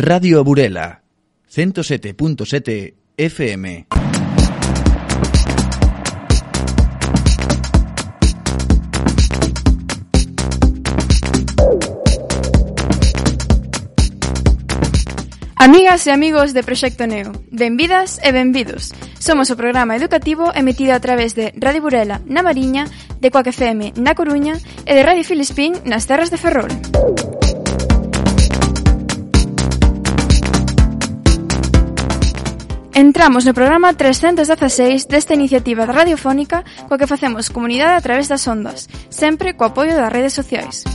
Radio Burela, 107.7 FM. Amigas e amigos de Proxecto Neo, benvidas e benvidos. Somos o programa educativo emitido a través de Radio Burela na Mariña, de Coac FM na Coruña e de Radio Filispín nas terras de Ferrol. Entramos no programa 316 desta iniciativa radiofónica coa que facemos comunidade a través das ondas, sempre co apoio das redes sociais.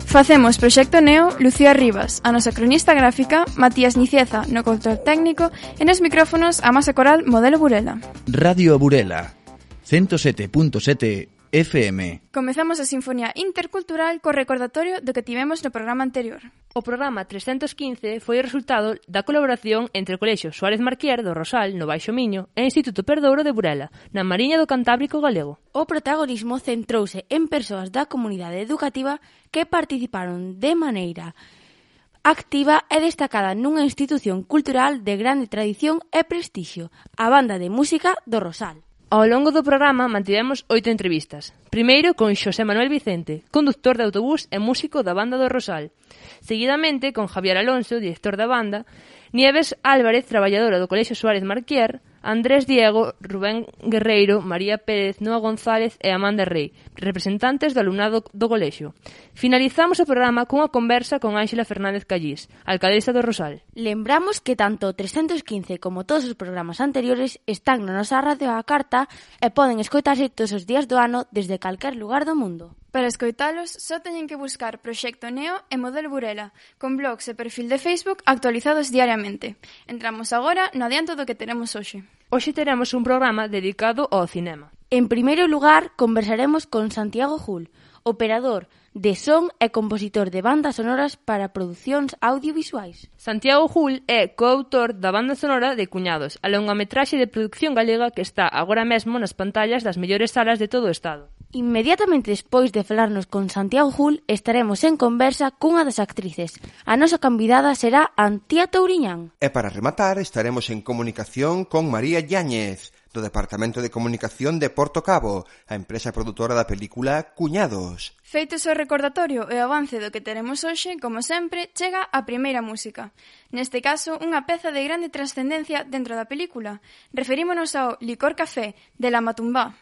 Facemos Proxecto Neo, Lucía Rivas, a nosa cronista gráfica, Matías Niceza no control técnico e nos micrófonos a masa coral Modelo Burela. Radio Burela, 107.7 FM. Comezamos a Sinfonía Intercultural co recordatorio do que tivemos no programa anterior. O programa 315 foi o resultado da colaboración entre o Colexio Suárez Marquier do Rosal, no Baixo Miño, e o Instituto Perdouro de Burela, na Mariña do Cantábrico Galego. O protagonismo centrouse en persoas da comunidade educativa que participaron de maneira activa e destacada nunha institución cultural de grande tradición e prestixio, a Banda de Música do Rosal. Ao longo do programa mantivemos 8 entrevistas. Primeiro con Xosé Manuel Vicente, conductor de autobús e músico da Banda do Rosal. Seguidamente con Javier Alonso, director da banda, Nieves Álvarez, traballadora do Colexio Suárez Marquier, Andrés Diego, Rubén Guerreiro, María Pérez, Noa González e Amanda Rey, representantes do alumnado do colexio. Finalizamos o programa cunha conversa con Ánxela Fernández Callís, alcaldesa do Rosal. Lembramos que tanto o 315 como todos os programas anteriores están na nosa radio á carta e poden escoitarse todos os días do ano desde calquer lugar do mundo. Para escoitalos, só teñen que buscar Proxecto Neo e Modelo Burela, con blogs e perfil de Facebook actualizados diariamente. Entramos agora no adianto do que teremos hoxe. Hoxe teremos un programa dedicado ao cinema. En primeiro lugar, conversaremos con Santiago Jul, operador de son e compositor de bandas sonoras para producións audiovisuais. Santiago Jul é coautor da banda sonora de Cuñados, a longametraxe de producción galega que está agora mesmo nas pantallas das mellores salas de todo o Estado. Inmediatamente despois de falarnos con Santiago Jul, estaremos en conversa cunha das actrices. A nosa convidada será Antía Touriñán. E para rematar, estaremos en comunicación con María Yáñez, do Departamento de Comunicación de Porto Cabo, a empresa produtora da película Cuñados. Feitos o recordatorio e o avance do que teremos hoxe, como sempre, chega a primeira música. Neste caso, unha peza de grande trascendencia dentro da película. Referímonos ao Licor Café, de La Matumbá.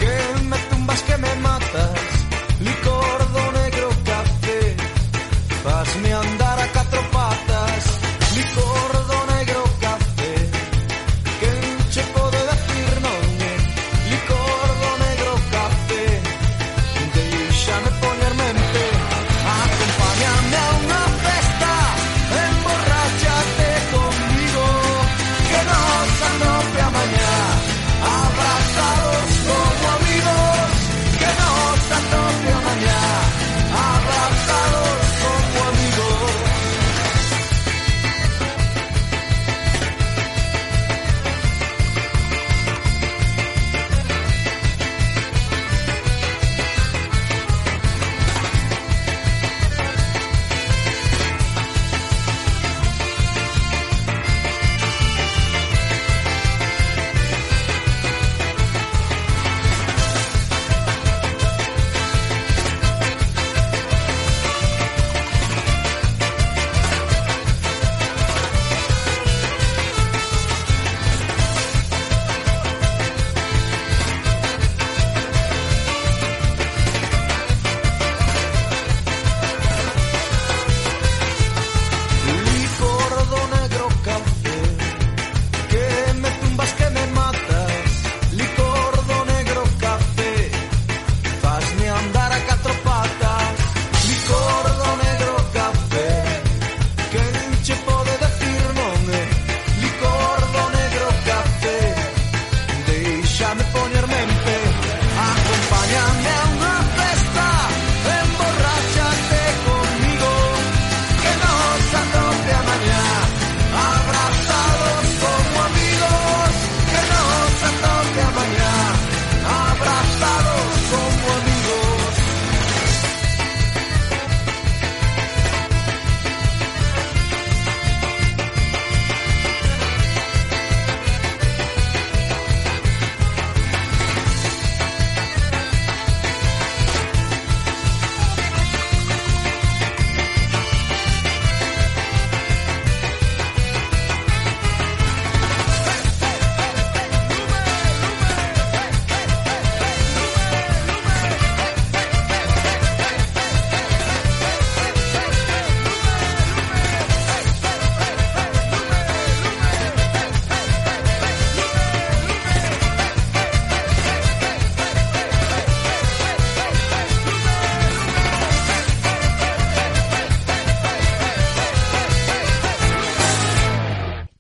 Que me tumbas, que me matas, licor do negro café.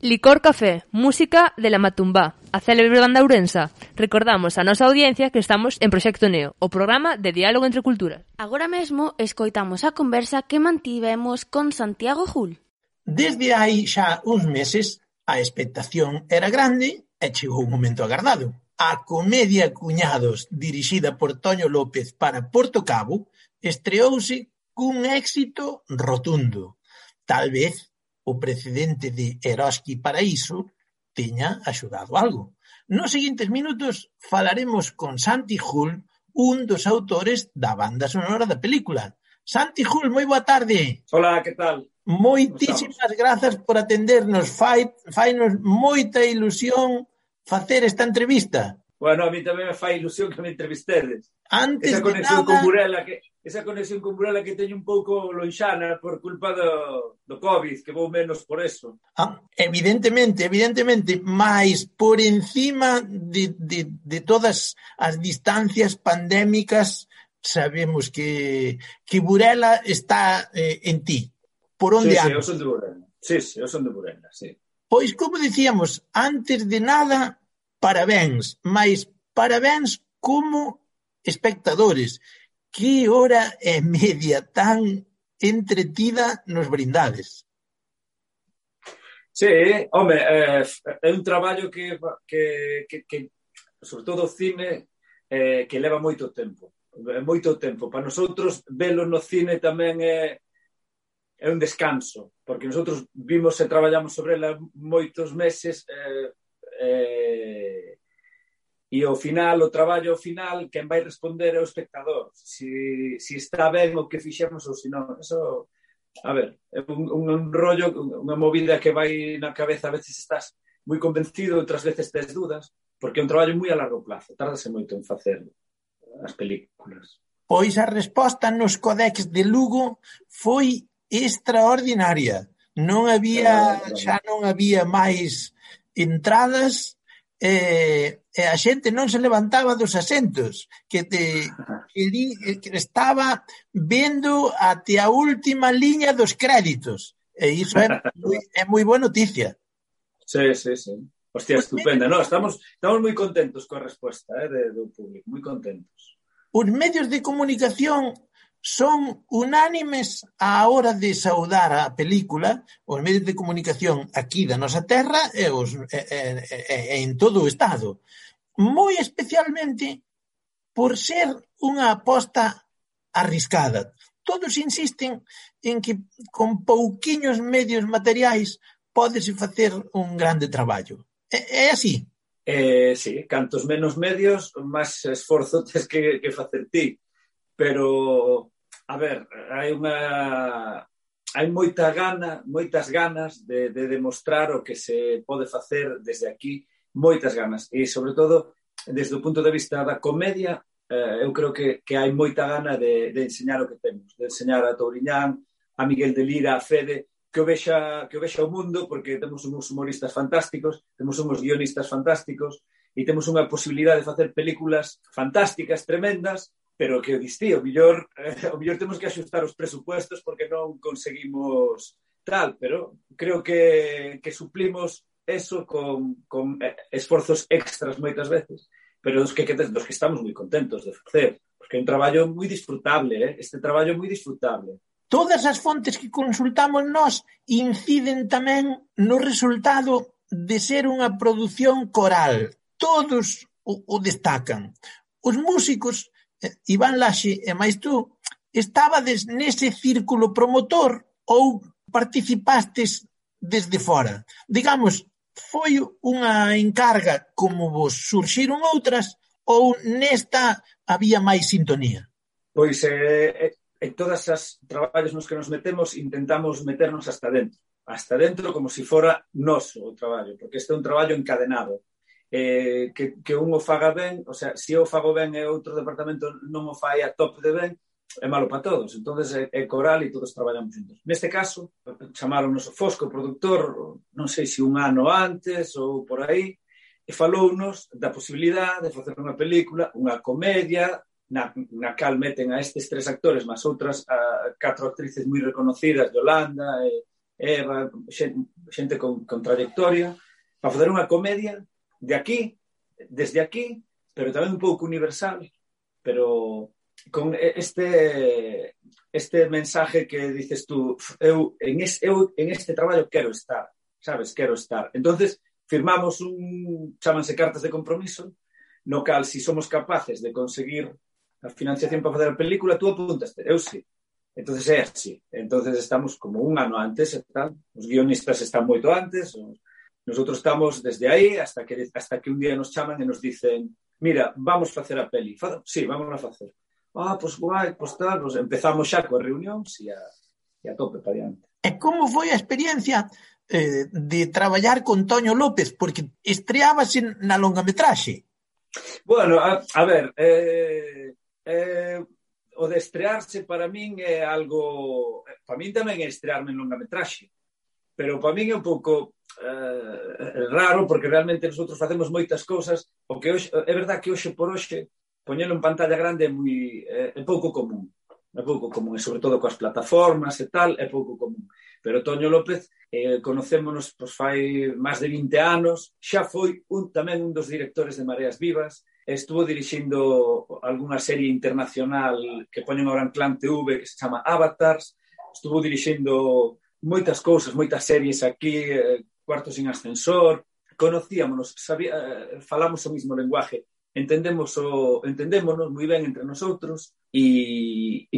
Licor Café, música de La Matumbá, a célebre banda ourensa. Recordamos a nosa audiencia que estamos en Proxecto Neo, o programa de diálogo entre culturas. Agora mesmo escoitamos a conversa que mantivemos con Santiago Jul. Desde hai xa uns meses, a expectación era grande e chegou o momento agardado. A comedia Cuñados, dirixida por Toño López para Porto Cabo, estreouse cun éxito rotundo. Tal vez o precedente de Eroski Paraíso teña axudado algo. Nos seguintes minutos falaremos con Santi Jul, un dos autores da banda sonora da película. Santi Jul, moi boa tarde. Hola, que tal? Moitísimas grazas por atendernos. Fainos moita ilusión facer esta entrevista. Bueno, a mí tamén me fai ilusión que me entrevistedes. Antes esa conexión de nada... con Burela que teño un pouco lonxana por culpa do COVID, que vou menos por eso. Evidentemente, mas por encima de todas as distancias pandémicas sabemos que Burela está en ti. Por onde andas? Eu son de Burela. Sí, eu son de Burela, sí. Pois, como dicíamos, antes de nada, parabéns, mas parabéns como espectadores. Que hora e media tan entretida nos brindades. Sí, home, é un traballo que sobre todo o cine, que leva moito tempo. Moito tempo. Para nosotros, velo no cine tamén é un descanso, porque nosotros vimos e traballamos sobre ela moitos meses e ao final, o traballo final, quen vai responder é o espectador. Si está ben o que fixemos ou si non. Eso, a ver, é un rollo, unha movida que vai na cabeza, a veces estás moi convencido, outras veces tes dudas, porque é un traballo moi a largo plazo, tárdase moito en facer as películas. Pois a resposta nos Codex de Lugo foi extraordinaria. Xa non había máis entradas e a xente non se levantaba dos asentos, que estaba vendo até a última liña dos créditos. E iso é moi boa noticia. Sí. Hostia, estupenda. No, estamos moi contentos coa resposta do público, moi contentos. Os medios de comunicación son unánimes á hora de saudar a película, os medios de comunicación aquí da nosa terra e en todo o Estado. Moi especialmente por ser unha aposta arriscada. Todos insisten en que con pouquiños medios materiais pódese facer un grande traballo. É así? Sí, cantos menos medios, máis esforzo tes que facer ti. Pero, a ver, hai moitas ganas de demostrar o que se pode facer desde aquí, moitas ganas. E, sobre todo, desde o punto de vista da comedia, eu creo que hai moita gana de enseñar o que temos, de enseñar a Touriñán, a Miguel de Lira, a Fede, que o vexa o mundo, porque temos uns humoristas fantásticos, temos uns guionistas fantásticos, e temos unha posibilidade de facer películas fantásticas, tremendas, pero que o distí, o mellor temos que axustar os presupuestos porque non conseguimos tal, pero creo que suplimos eso con esforzos extras moitas veces, pero dos que estamos moi contentos de facer, porque é un traballo moi disfrutable, este traballo é moi disfrutable. Todas as fontes que consultamos nós inciden tamén no resultado de ser unha produción coral. Todos o destacan. Os músicos, Iván Laxe e máis tú, estabades nese círculo promotor ou participastes desde fora? Digamos, foi unha encarga como vos surxiron outras ou nesta había máis sintonía? Pois en todas as traballos nos que nos metemos intentamos meternos hasta dentro como se fora noso o traballo, porque este é un traballo encadenado. Que un o faga ben, o sea, se eu fago ben e outro departamento non o fai a top de ben, é malo para todos. Entonces é coral e todos traballamos juntos. Neste caso, chamaronnos o Fosco, o produtor, non sei se un ano antes ou por aí, e falounos da posibilidade de facer unha película, unha comedia, na cal meten a estes 3 actores, máis outras 4 actrices moi reconocidas, Yolanda, Eva, xente con trayectoria, para facer unha comedia de aquí, desde aquí, pero tamén un pouco universal, pero con este mensaje que dices tú, eu en este traballo quero estar, sabes, quero estar. Entonces, firmamos chámanse cartas de compromiso, no cal, si somos capaces de conseguir a financiación para facer a película, tú apuntaste, eu sí. Entonces é así. Entonces estamos como un ano antes e tal. Os guionistas están moito antes. Nosotros estamos desde aí hasta que un día nos chaman e nos dicen mira, vamos facer a peli. Sí, vamos a facer. Pois guai, pois tal. Pues empezamos xa coas reunións e a tope para diante. E como foi a experiencia de traballar con Toño López? Porque estreábase na longametraxe. Bueno, a ver, o de estrearse para min é algo... Para min tamén é estrearme en longametraxe, pero para min é un pouco raro, porque realmente nosotros facemos moitas cousas, o que hoxe, é verdad que hoxe por hoxe poñelo en pantalla grande é pouco común. É pouco común, e sobre todo coas plataformas e tal, é pouco común. Pero Toño López, conocémonos pois, fai máis de 20 anos, xa foi tamén un dos directores de Mareas Vivas, estuvo dirixindo algunha serie internacional que poñen ahora en Clan TV que se chama Avatars, estuvo dirixindo moitas cousas, moitas series aquí, Cuarto sin ascensor, conocíamonos, falamos o mismo lenguaje, entendémonos moi ben entre nosotros e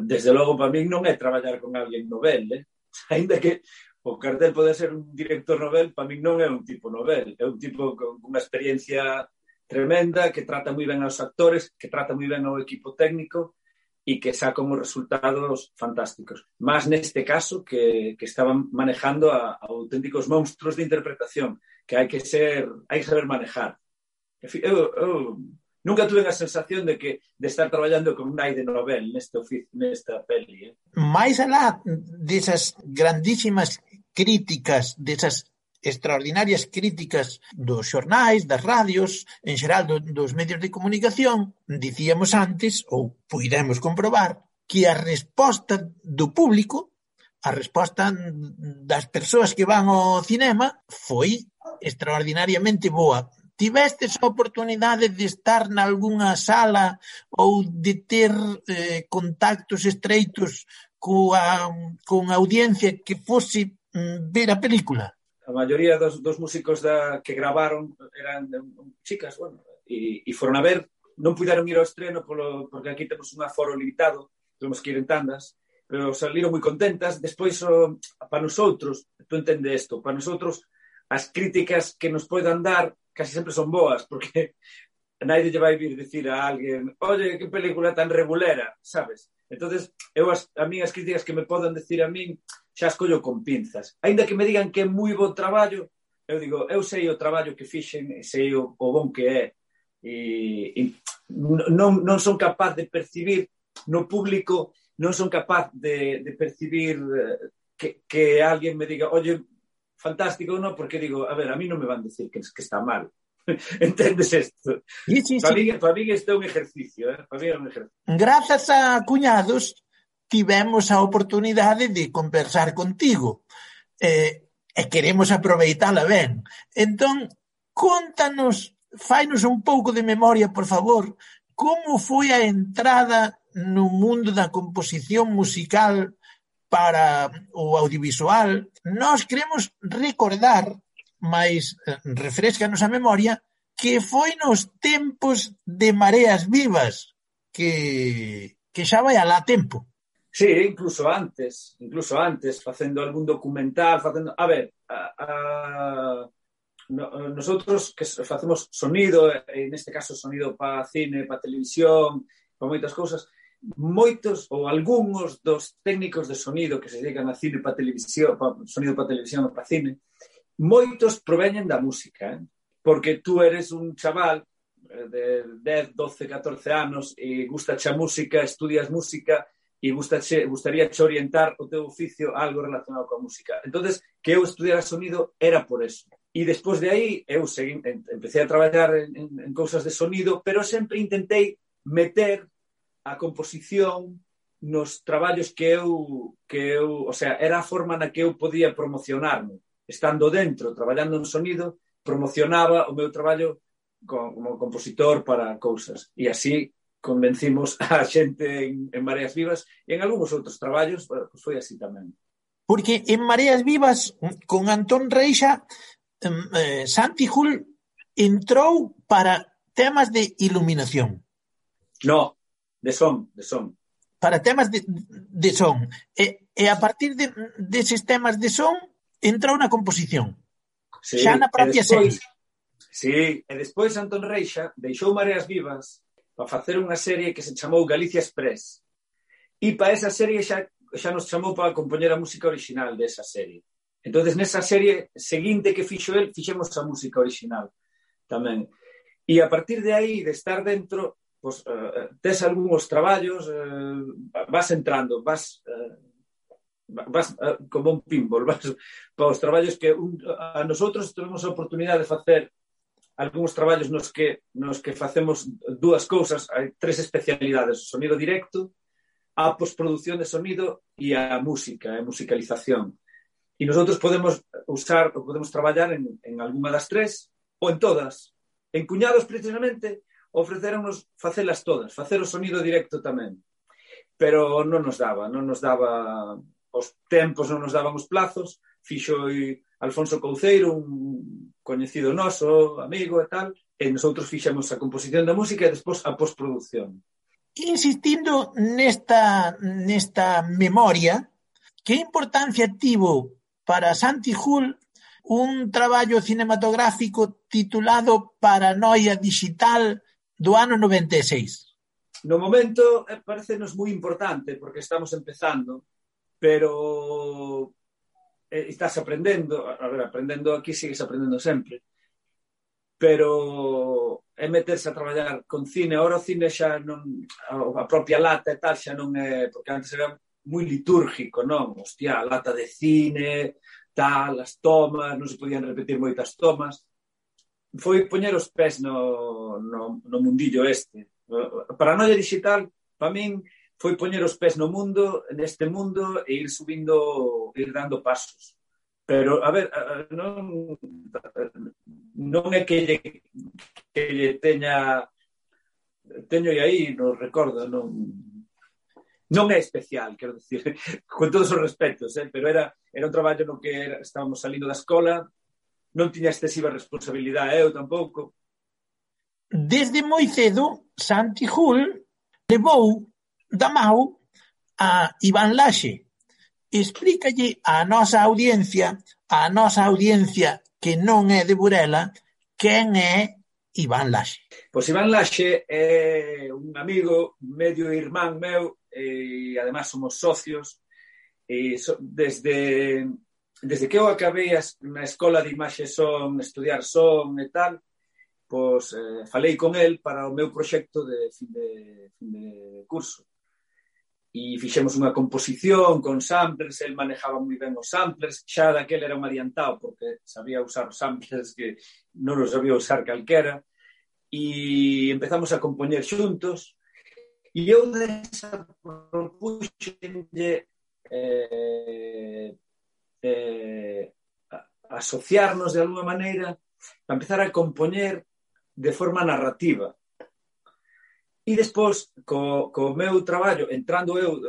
desde logo para mí non é traballar con alguén novel, ainda que o cartel pode ser un director novel, para mí non é un tipo novel, é un tipo con unha experiencia tremenda, que trata moi ben aos actores, que trata moi ben ao equipo técnico e que saca uns resultados fantásticos. Mas neste caso que estaban manejando a auténticos monstruos de interpretación que hai que saber manejar. Eu nunca tuve a sensación de estar traballando con un aire novel nesta peli. Mais alá desas grandísimas críticas, desas extraordinarias críticas dos xornais, das radios, en xeral dos medios de comunicación, dicíamos antes, ou puidemos comprobar, que a resposta do público, a resposta das persoas que van ao cinema, foi extraordinariamente boa. Tivestes a oportunidade de estar nalgúna sala ou de ter contactos estreitos con audiencia que fose ver a película? A maioría dos músicos que gravaron eran chicas, bueno, e foron a ver, non puderon ir ao estreno porque aquí temos un aforo limitado, temos que ir en tandas, pero saliron moi contentas. Despois, para nosotros, tú entende isto, para nosotros as críticas que nos poidan dar casi sempre son boas, porque nadie lle vai vir dicir a alguén oye, que película tan regulera, sabes? Entonces, a mí as críticas que me podan decir a min xa as collo con pinzas. Aínda que me digan que é moi bo traballo, eu digo, eu sei o traballo que fixen, sei o bon que é. E non son capaz de percibir no público, non son capaz de percibir que alguén me diga, oye, fantástico, non? Porque digo, a ver, a mí non me van decir que está mal. Entendes isto? Sí. Para mí isto é un ejercicio, Para mí é un ejercicio. Grazas a cuñados tivemos a oportunidade de conversar contigo e queremos aproveitala ben. Entón, contanos, fainos un pouco de memoria, por favor, como foi a entrada no mundo da composición musical para o audiovisual. Nós queremos recordar, mais refrescanos a memoria, que foi nos tempos de Mareas Vivas, que xa vai alá tempo. Sí, incluso antes, facendo algún documental, a ver, nosotros que facemos sonido, en este caso sonido para cine, para televisión, para moitas cousas, moitos ou algúns dos técnicos de sonido que se dedican a cine para televisión, sonido para televisión ou para cine, moitos proveñen da música, porque tú eres un chaval de 10, 12, 14 anos e gustache a música, estudias música e gustaríache orientar o teu oficio a algo relacionado coa música. Entonces, que eu estudiara sonido era por eso. E despois de aí, eu empecé a traballar en cousas de sonido, pero sempre intentei meter a composición nos traballos que eu, o sea, era a forma na que eu podía promocionarme. estando dentro, traballando en sonido, promocionaba o meu traballo como compositor para cousas. E así convencimos a xente en Mareas Vivas e en algúns outros traballos, pues foi así tamén. Porque en Mareas Vivas, con Antón Reixa, Santi Jul entrou para temas de iluminación. No, de son. Para temas de son. E a partir deses temas de son, entrou na composición. Sí, Xa na propia serie. Sí, e despois Antón Reixa deixou Mareas Vivas para facer unha serie que se chamou Galicia Express. E para esa serie xa nos chamou para compoñer a música original desa serie. Entonces, nesa serie seguinte que fixo el, fixemos a música original tamén. E a partir de aí, de estar dentro, pues, tes algúns traballos, vas entrando, vas como un pinball, vas para os traballos que a nosotros tuvemos a oportunidade de facer algúns traballos nos que facemos dúas cousas, hai 3 especialidades: o sonido directo, a postproducción de sonido e a música, a musicalización. E nosotros podemos traballar en algunha das 3 ou en todas. En Cuñados, precisamente, ofrecéronos facelas todas, facer o sonido directo tamén. Pero non nos daba os tempos, non nos daban os plazos. Fixo Alfonso Couceiro, un coñecido noso, amigo e tal, e nosotros fixemos a composición da música e despois a postproducción. Insistindo nesta memoria, que importancia tivo para Santi Jul un traballo cinematográfico titulado Paranoia Digital do ano 96? No momento parecenos moi importante porque estamos empezando, pero estás aprendendo, aprendendo aquí sigues aprendendo sempre, pero é meterse a traballar con cine. Ahora o cine xa non, a propia lata e tal xa non é, porque antes era moi litúrgico, non? Hostia, a lata de cine, tal, as tomas, non se podían repetir moitas tomas. Foi poñer os pés no mundillo este. Paranoia Digital, para min, foi poñer os pés no mundo, neste mundo, e ir subindo, ir dando pasos. Pero, a ver, non é que lle teño aí, non recordo, non é especial, quero dicir, con todos os respetos, pero era un traballo no que estábamos salindo da escola, non tiña excesiva responsabilidade, eu tampouco. Desde moi cedo, Santi Jul levou da mão a Iván Laxe. Explícalle á nosa audiencia que non é de Burela, quen é Iván Laxe. Pois Iván Laxe é un amigo, medio irmán meu, e además somos socios, e desde que eu acabei na escola de imaxe son, estudiar son e tal, pois falei con el para o meu proxecto de fin de curso. E fixemos unha composición con samplers, el manejaba moi ben os samplers, xa daquel era un adiantado porque sabía usar os samplers que non os sabía usar calquera, e empezamos a compoñer xuntos, e eu propuxenlle asociarnos de alguma maneira para empezar a compoñer de forma narrativa. E despois, co meu traballo, entrando eu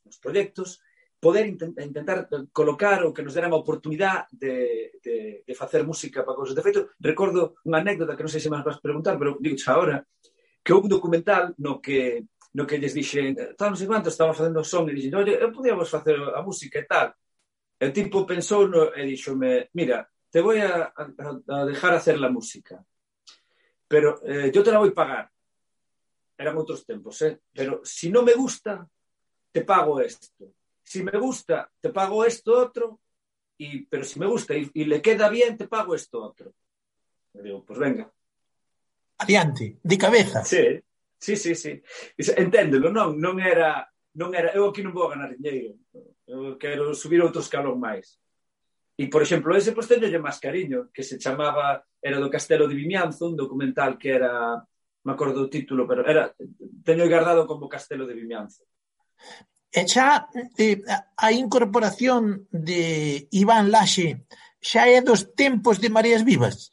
nos proxectos, poder intentar colocar o que nos dera a oportunidade de facer música para cousas. De feito, recordo unha anécdota que non sei se máis vas preguntar, pero digo agora, que houve un documental no que lles dixen, non sei quanto, estaba facendo son e dixen, oye, podíamos facer a música e tal. E o tipo pensou e dixome, mira, te voy a dejar hacer la música, pero yo te la voy a pagar. Eran outros tempos, pero si no me gusta, te pago esto. Si me gusta, te pago esto otro, pero si me gusta y le queda bien, te pago esto otro. E digo, pues venga. Adiante, de cabeza. Sí. Enténdelo, non era, eu aquí non vou ganar dinheiro, eu quero subir outro escalón máis. E, por exemplo, ese pois teñolle máis cariño, que se chamaba, era do Castelo de Vimianzo, un documental que era, me acordo o título, pero teño guardado como Castelo de Vimianzo. E xa a incorporación de Iván Laxe xa é dos tempos de Mareas Vivas?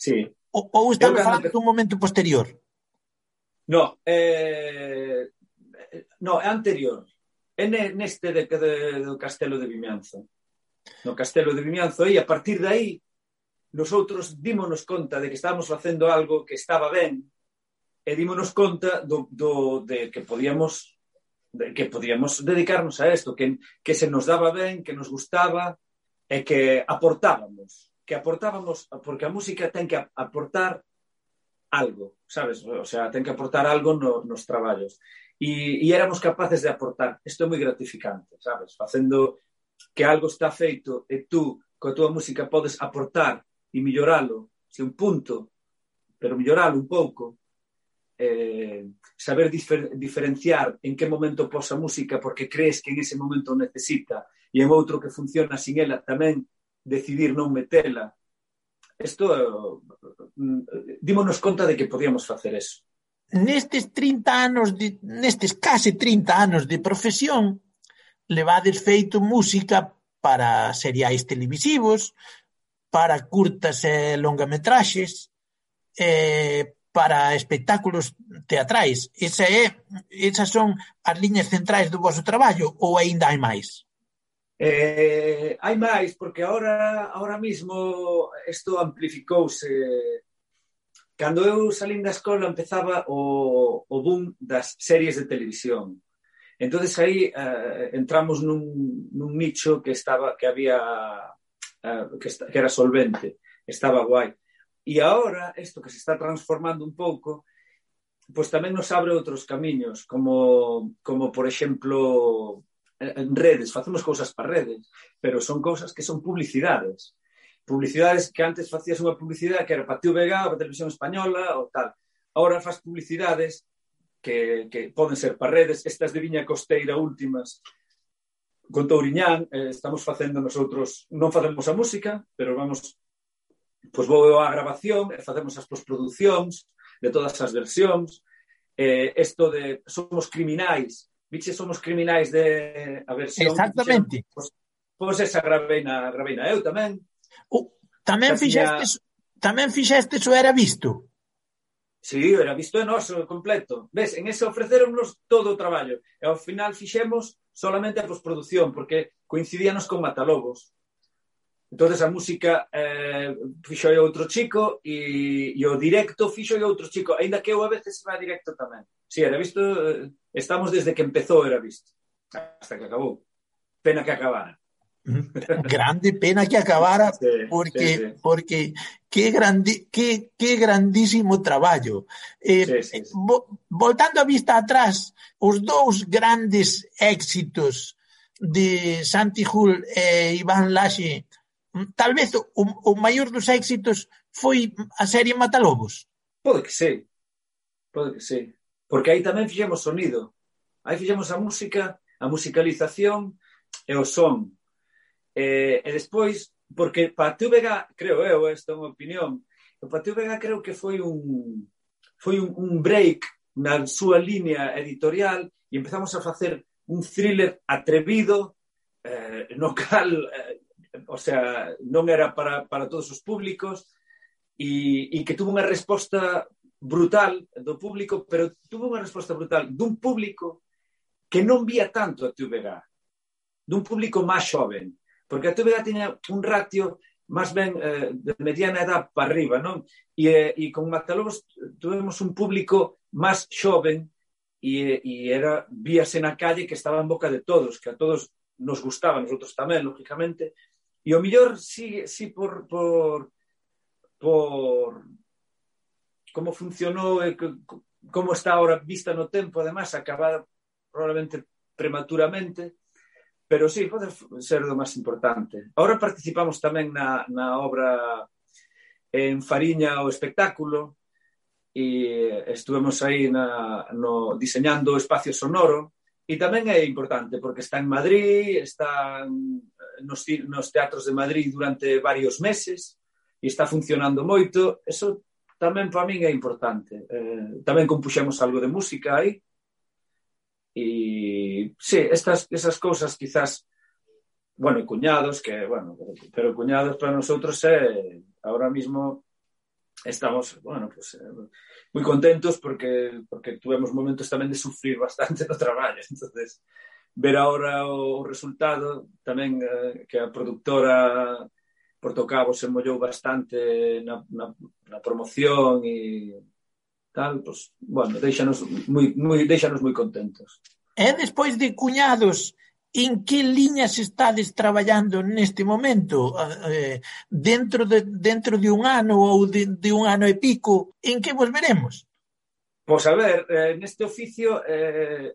Sí. Ou estamos falando dun momento posterior? No, no, é anterior. É neste do Castelo de Vimianzo. No Castelo de Vimianzo, e a partir de aí, nosotros dímonos conta de que estábamos facendo algo que estaba ben, e dímonos conta de que podíamos dedicarnos a isto, que se nos daba ben, que nos gustaba, e que aportábamos, porque a música ten que aportar algo, sabes? O sea, ten que aportar algo nos traballos. E éramos capaces de aportar. Isto é moi gratificante, sabes? Facendo que algo está feito e tú, coa tua música, podes aportar e milloralo, se un punto, pero milloralo un pouco. Saber diferenciar en que momento pos a música porque crees que en ese momento necesita e en outro que funciona sin ela tamén decidir non metela. Isto, dímonos conta de que podíamos facer eso. Nestes case 30 anos de profesión, levades feito música para seriais televisivos, para curtas e longametraxes, para espectáculos teatrais. Esas son as liñas centrais do voso traballo ou aínda hai máis? Hai máis, porque ahora mismo isto amplificouse. Cando eu salín da escola empezaba o boom das series de televisión. Entonces aí entramos nun nicho que era solvente, estaba guai. E agora, isto que se está transformando un pouco, pois tamén nos abre outros camiños, como por exemplo, en redes, facemos cousas para redes, pero son cousas que son publicidades. Publicidades que antes facías unha publicidade que era para TVG ou para Televisión Española ou tal. Agora faz publicidades que poden ser para redes, estas de Viña Costeira últimas, con Touriñán, estamos facendo nosotros, non facemos a música, pero pois vou á grabación e facemos as postproduccións de todas as versións. Isto de Somos Criminais, viche Somos Criminais de a versión... Exactamente. Pois esa graveina eu tamén. Tamén fixestes o Era Visto? Sí, Era Visto é noso completo. Ves, en ese ofreceronnos todo o traballo. E ao final fixemos solamente a postproducción, porque coincidíanos con Matalobos. Entonces a música fixo outro chico e o directo fixo outro chico, aínda que eu a veces va directo tamén. Sí, Era Visto, estamos desde que empezou Era Visto, hasta que acabou. Pena que acabara. Grande pena que acabara, porque que grandísimo traballo. Voltando a vista atrás, os dous grandes éxitos de Santi Hull e Iván Laxe, tal vez o maior dos éxitos foi a serie Matalobos. Pode que sí, porque aí tamén fixemos sonido, aí fixemos a música, a musicalización e o son. E despois, porque para TVG, creo eu, esta é unha opinión, para TVG creo que foi un break na súa línea editorial e empezamos a facer un thriller atrevido, no cal, o sea, non era para todos os públicos e que tuvo unha resposta brutal do público, pero tuvo unha resposta brutal dun público que non vía tanto a TVG, dun público máis xoven. Porque a TVG tiña un ratio máis ben de mediana edad para arriba, non? E con Matalobos tuvemos un público máis xoven e víase na calle que estaba en boca de todos, que a todos nos gustaba, nosotros tamén, lógicamente. E o mellor, sí por como funcionou e como está ahora vista no tempo, además, acabada probablemente prematuramente. Pero sí, pode ser do máis importante. Ahora participamos tamén na obra en Fariña o espectáculo e estuvemos aí diseñando o espacio sonoro e tamén é importante porque está en Madrid, está nos teatros de Madrid durante varios meses e está funcionando moito. Eso tamén para min é importante. Tamén compuxemos algo de música aí. E sí, esas cousas quizás bueno, cuñados, que, bueno, pero cuñados para nosotros ahora mismo estamos, bueno, pues moi contentos porque tuvemos momentos tamén de sufrir bastante no traballo, entonces ver ahora o resultado tamén que a produtora Portocabo se mollou bastante na promoción e tal, pues, bueno, déixanos moi contentos. E despois de cuñados, en que liñas estades traballando neste momento? Dentro de un ano ou de un ano e pico, en que vos veremos? Pois a ver, neste oficio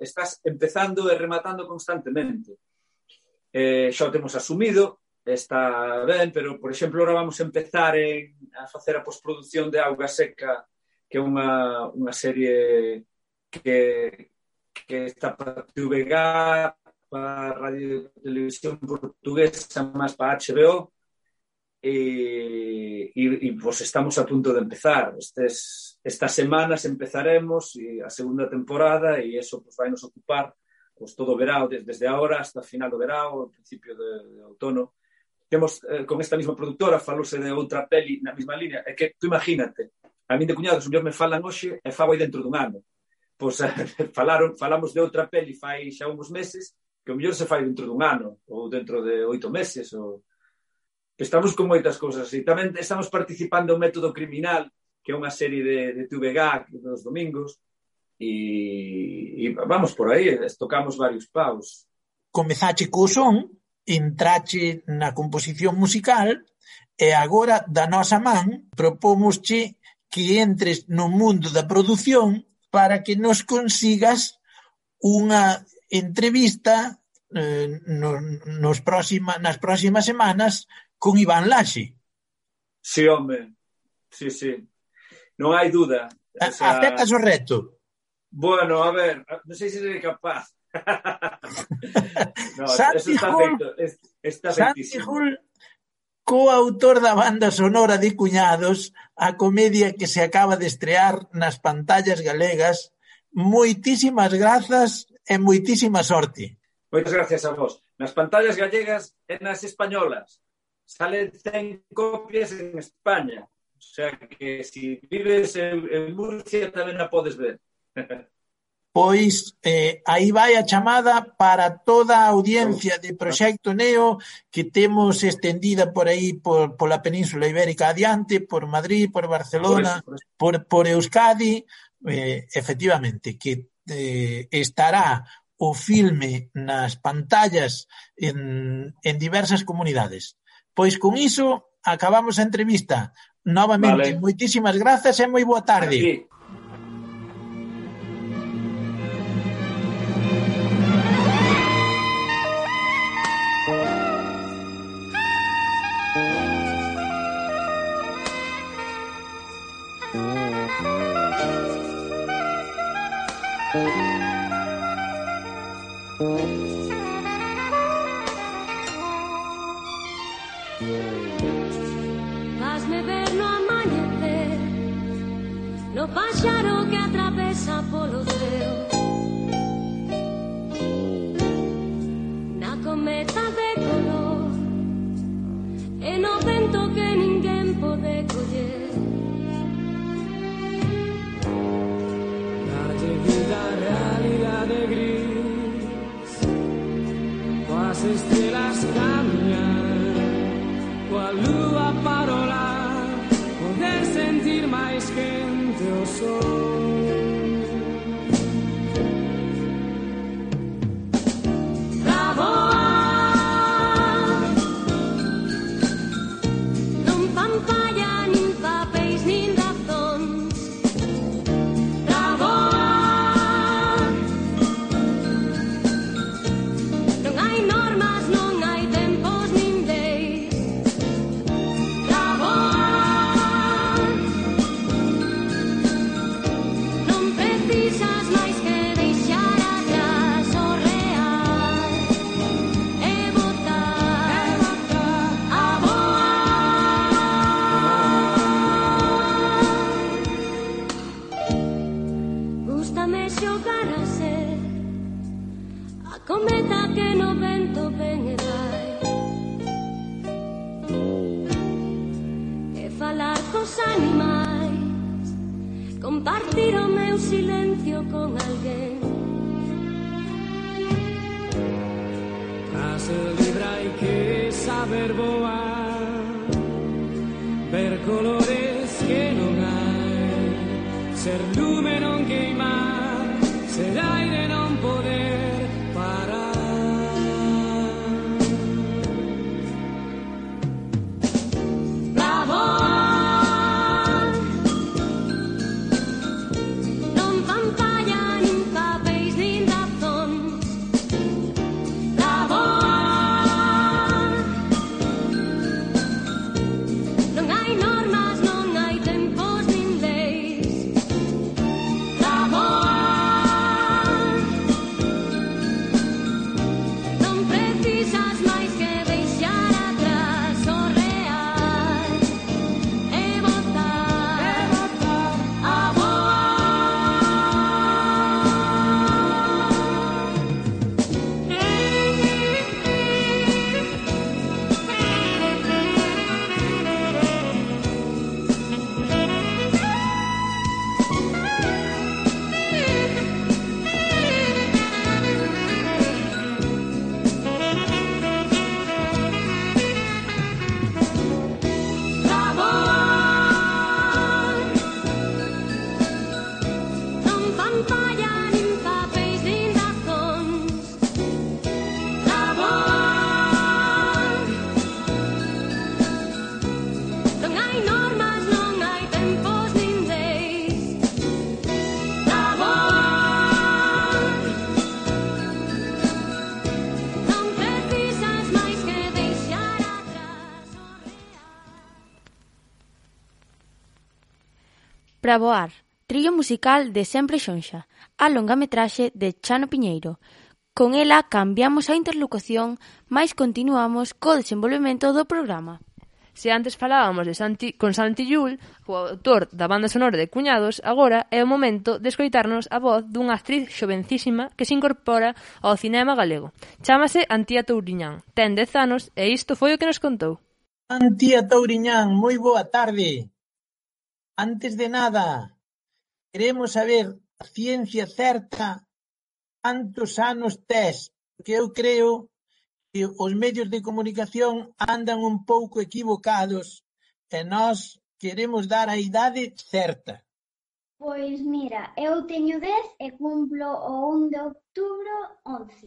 estás empezando e rematando constantemente. Xa o temos asumido, está ben, pero, por exemplo, ahora vamos a empezar a facer a postproducción de Auga Seca, que é unha serie que está para TVG, para Radio Televisión Portuguesa, máis para HBO, e pues estamos a punto de empezar. Estas semanas empezaremos a segunda temporada e eso pues vai nos ocupar pues todo o verao, desde agora hasta final do verao, ao principio de outono. Temos, con esta mesma productora, falose de outra peli na mesma línea. É que, tú imagínate, a min de cuñados, mellor me falan hoxe e fago aí dentro dun ano. Pois falamos de outra peli fai xa uns meses, que o mellor se fai dentro dun ano, ou dentro de 8 meses, ou... Estamos con moitas cousas, e tamén estamos participando en Método Criminal, que é unha serie de TVG dos domingos, e vamos por aí, tocamos varios paus. Comezache co son, entrache na composición musical, e agora, da nosa man, propómosche que entres no mundo da produción para que nos consigas unha entrevista nas próximas semanas con Iván Laxe. Sí, home. Sí. Non hai dúda. Aceptas o reto? Bueno, a ver, non sei se serei capaz. No, Santi eso está feitísimo. Coautor da banda sonora de Cuñados, a comedia que se acaba de estrear nas pantallas galegas. Moitísimas grazas e moitísima sorte. Moitas gracias a vos. Nas pantallas gallegas e nas españolas. Salen 100 copias en España. O sea que si vives en Murcia tamén a podes ver. Pois aí vai a chamada para toda a audiencia de Proxecto Neo que temos estendida por aí pola Península Ibérica adiante, por Madrid, por Barcelona, por Euskadi, efectivamente, que estará o filme nas pantallas en diversas comunidades. Pois con iso acabamos a entrevista. Novamente, moitísimas grazas e moi boa tarde. Hazme ver no amanecer, no páxaro que atravesa polo ceo, na cometa de color, e no vento que ninguén pode coller. Darlle vida a realidade gris, coas estrelas camiñan, coa lúa parola, poder sentir máis quente o sol. falar cos animais, compartir o meu silencio con alguén. Para ser libre hai que saber voar, ver colores que non hai, ser lume non queimar, ser aire non poder parar. Para voar, trillo musical de Sempre Xonxa, a longametraxe de Chano Piñeiro. Con ela cambiamos a interlocución, mais continuamos co desenvolvemento do programa. Se antes falábamos con Santi Llull, o autor da banda sonora de Cuñados, agora é o momento de escoitarnos a voz dunha actriz xovencísima que se incorpora ao cinema galego. Chámase Antía Touriñán, ten 10 anos e isto foi o que nos contou. Antía Touriñán, moi boa tarde. Antes de nada, queremos saber a ciencia certa cantos anos tes, porque eu creo que os medios de comunicación andan un pouco equivocados e nós queremos dar a idade certa. Pois mira, eu teño 10 e cumplo o 1 de outubro 11.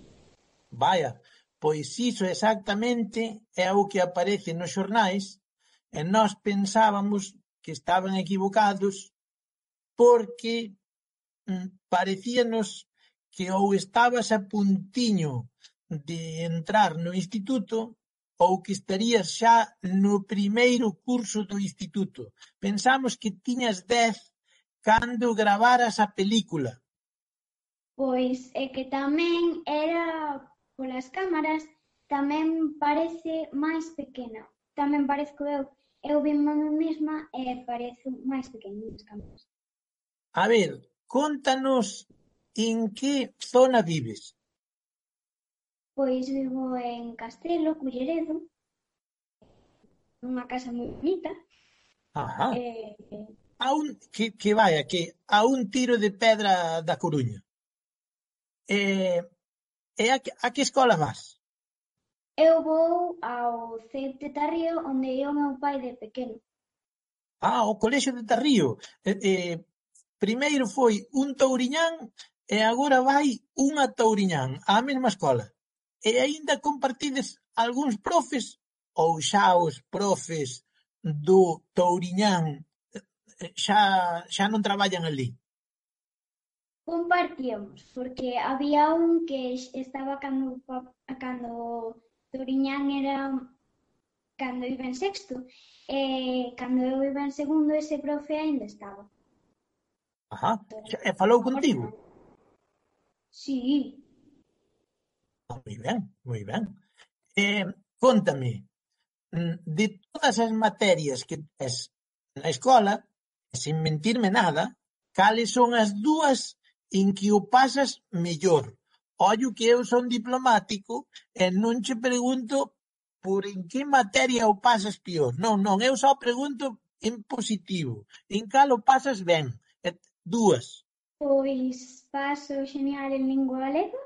Vaya, pois iso exactamente é o que aparece nos xornais e nós pensábamos que estaban equivocados porque parecíanos que ou estabas a puntiño de entrar no instituto ou que estarías xa no primeiro curso do instituto. Pensamos que tiñas 10 cando gravaras a película. Pois é que tamén era polas cámaras, tamén parece máis pequena. Tamén parezco eu vimo a mí mesma e parezo máis pequena nas cámaras. A ver, contanos en que zona vives. Pois vivo en Castelo, Culleredo, nunha casa moi bonita. Ajá. A un tiro de pedra da Coruña. E a que escola vas? Eu vou ao CEP de Tarrío, onde ia o meu pai de pequeno. O colexio de Tarrío. Primeiro foi un Touriñán e agora vai unha Touriñán á mesma escola. E aínda compartides algúns profes ou xa os profes do Touriñán xa non traballan ali? Compartíamos, porque había un que estaba cando Touriñán era cando iba en sexto e cando eu iba en segundo ese profe aínda estaba. Ajá, e falou contigo? Sí. Moi ben, moi ben. Cóntame, de todas as materias que tes na escola, sen mentirme nada, cales son as dúas en que o pasas mellor? Ollo que eu son diplomático e non che pregunto por en que materia o pasas pior. Non, eu só pregunto en positivo. En cal o pasas ben? 2. Pois paso genial en lingua galega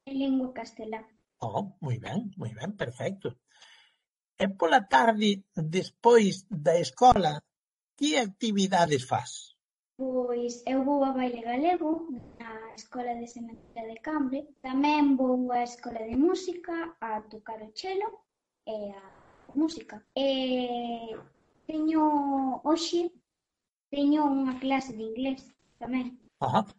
e lingua castelá. Moi ben, perfecto. E pola tarde, despois da escola, que actividades fas? Pois eu vou a baile galego na Escola de Sementeira de Cambre. Tamén vou á Escola de Música a tocar o chelo e a música. Hoxe teño unha clase de inglés tamén.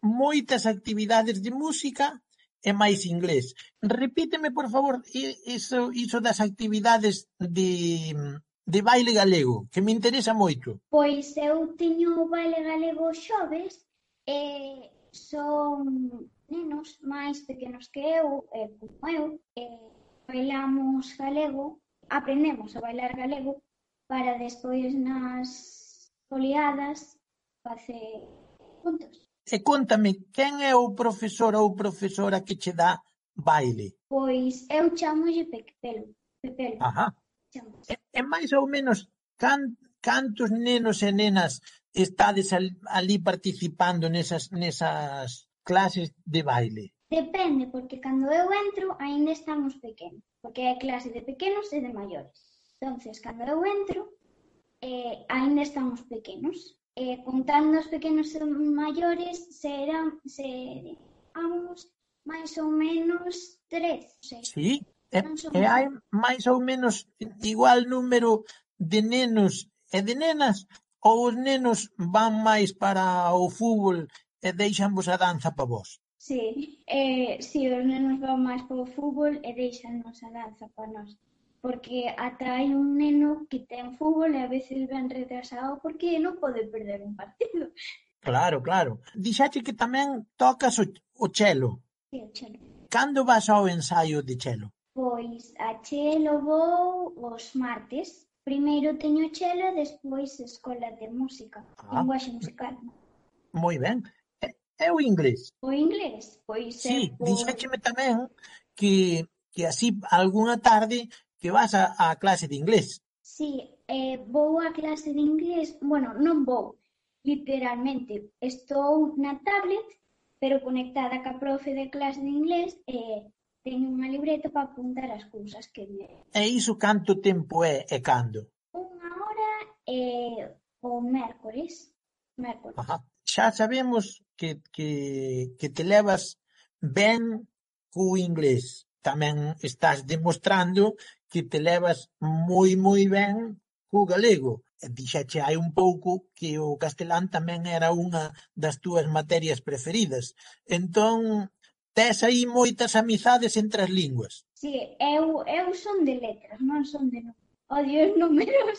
Moitas actividades de música e máis inglés. Repíteme, por favor, iso das actividades de baile galego, que me interesa moito. Pois eu teño o baile galego xoves e son nenos máis pequenos que eu, como eu, bailamos galego, aprendemos a bailar galego para despois nas foliadas facer juntos. E contame, quen é o profesor ou profesora que che dá baile? Pois eu chamolle Pepelo. E máis ou menos cantos nenos e nenas estades ali participando nesas clases de baile? Depende, porque cando eu entro aínda estamos pequenos, porque hai clase de pequenos e de maiores. Entonces, cando eu entro, aínda estamos pequenos. Contando os pequenos e maiores, seramos máis ou menos 3. Sí, e hai máis ou menos igual número de nenos e de nenas, ou os nenos van máis para o fútbol e deixanvos a danza para vos? Sí, os nenos van máis para o fútbol e deixanos a danza para nós. Porque ata hai un neno que ten fútbol e a veces ven retrasado porque non pode perder un partido. Claro. Dixache que tamén tocas o chelo. Sí, o chelo. Cando vas ao ensaio de chelo? Pois a chelo vou os martes. Primeiro teño chelo e despois escola de música, linguaxe musical. Moi ben. E o inglés? O inglés? Pois sí, dixécheme tamén que así algunha tarde que vas a clase de inglés. Sí, vou a clase de inglés, bueno, non vou, literalmente. Estou na tablet, pero conectada ca profe de clase de inglés e teño unha libreta para apuntar as cousas que me... E iso canto tempo é e cando? 1 hora o mércores. Xa sabemos que te levas ben co inglés. Tamén estás demostrando que te levas moi ben co galego. Dixache hai un pouco que o castelán tamén era unha das túas materias preferidas. Entón, tes aí moitas amizades entre as linguas. Sí, eu son de letras, non son de números. Odio os números.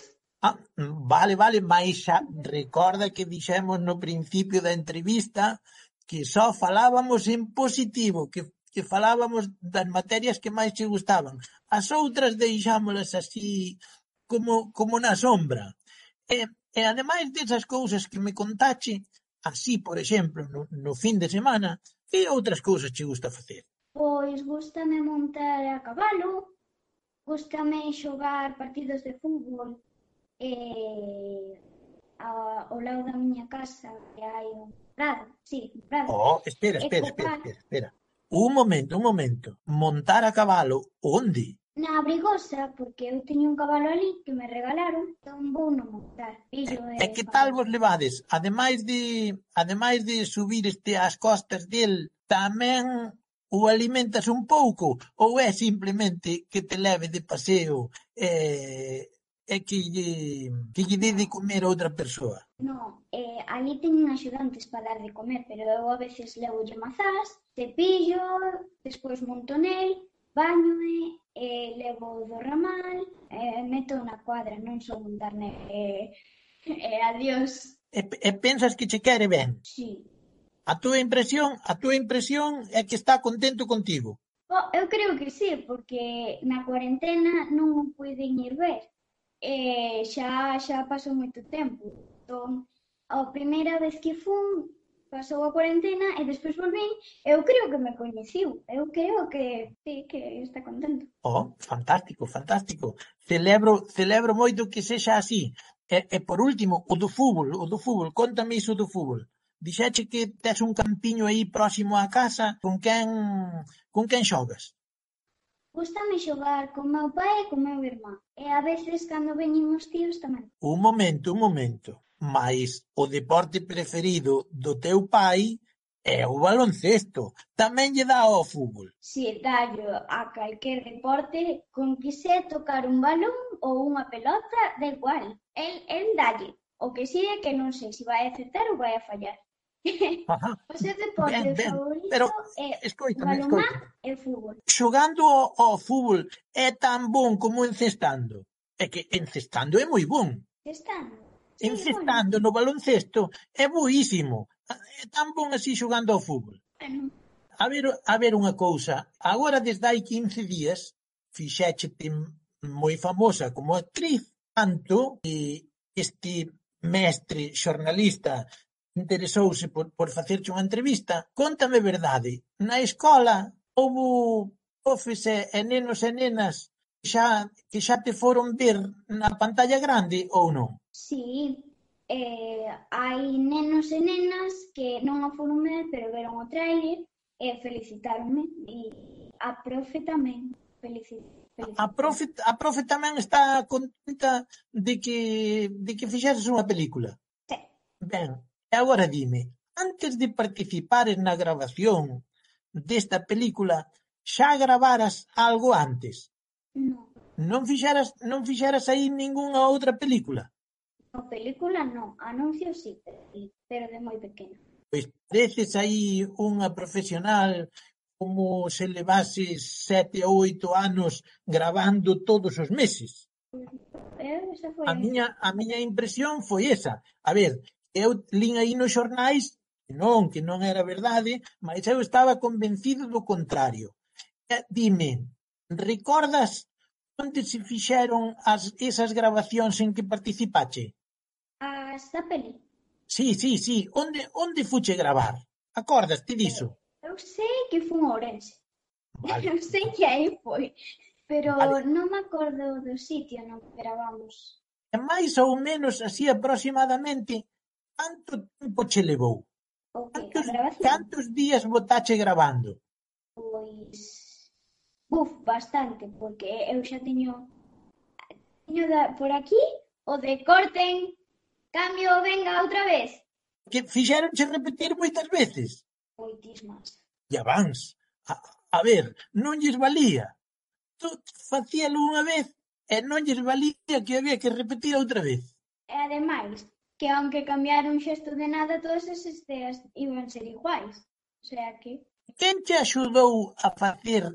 Vale, mais xa recorda que dixemos no principio da entrevista que só falábamos en positivo, que falábamos das materias que máis che gustaban. As outras deixámolas así como na sombra. E ademais desas cousas que me contache, así, por exemplo, no fin de semana, que outras cousas che gusta facer? Pois gústame montar a cabalo, gústame xogar partidos de fútbol ao lado da miña casa que hai un prado. Sí, un prado. Espera. Un momento. Montar a cabalo, onde? Na Abrigosa, porque eu teño un cabalo ali que me regalaron, entón vou non montar. E que tal vos levades? Ademais de subir ás costas del, tamén o alimentas un pouco? Ou é simplemente que te leve de paseo e que lle dé de comer a outra persoa? Non, ali teñen axudantes para dar de comer, pero eu a veces levolle mazás, cepillo, despois monto nel, bañoe, levo do ramal, meto na cuadra, non son montar nel, adiós. E pensas que che quere ben? Sí. A túa impresión é que está contento contigo? Eu creo que sí, porque na cuarentena non o puiden ir ver. Xa pasou moito tempo. Entón, a primeira vez que fun, pasou a cuarentena e despois volvín, eu creo que me coñeciu. Eu creo que sí, que está contento. Fantástico. Celebro moito que sexa así. E por último, o do fútbol, cóntame iso do fútbol. Dixeche que tes un campiño aí próximo á casa, con quen xogas? Gústame xogar con meu pai e con meu irmán. E a veces, cando veñen os tíos, tamén. Un momento. Mais o deporte preferido do teu pai é o baloncesto. Tamén lle dá ao fútbol. Si dallo a calquer deporte, con que se tocar un balón ou unha pelota, da igual. El dalle. O que si é que non sei se vai acertar ou vai a fallar. Ajá. O seu deporte Ben, favorito pero é escoítame. balonmán e fútbol. Xogando ao fútbol é tan bon como encestando. É que encestando é moi bon. Estando. Encestando no baloncesto é boísimo. É tan bon así xogando ao fútbol. Bueno, A ver unha cousa. Agora, desde hai 15 días, fixéchete moi famosa como actriz, tanto que este mestre xornalista interesouse por facerche unha entrevista. Cóntame verdade. Na escola houbo profes e nenos e nenas que xa te foron ver na pantalla grande ou non? si, hai nenos e nenas que non o foron ver, pero veron o trailer e felicitáronme. E a profe tamén A profe tamén está contenta de que fixeses unha película. Sí. Ben, e agora dime, antes de participares na grabación desta película, xa gravaras algo antes? Non. Non fixeras aí ningunha outra película? A película non, anuncios sí, pero de moi pequena. Pois pareces aí unha profesional como se levases 7 ou 8 anos gravando todos os meses. Esa foi A miña impresión foi esa. A ver, eu lín aí nos xornais que non era verdade, mas eu estaba convencido do contrario. Dime, recordas onde se fixeron esas grabacións en que participache? Esta peli. Sí. Onde fuche gravar? Acordaste diso? Eu sei que foi en Ourense. Vale. Eu sei que aí foi, pero Vale. non me acordo do sitio no que gravamos. E máis ou menos así aproximadamente, canto tempo che levou? O que? A grabación? Cantos días botache gravando? Pois... bastante, porque eu xa teño por aquí o de corten, cambio, venga, outra vez. Que fixeronche repetir moitas veces? Moitísimas. E avans. A ver, non lles valía. Tú facíalo unha vez e non lles valía que había que repetir outra vez. E ademais, que aunque cambiara un xesto de nada, todas as escenas iban ser iguais. O sea que... Quen te axudou a facer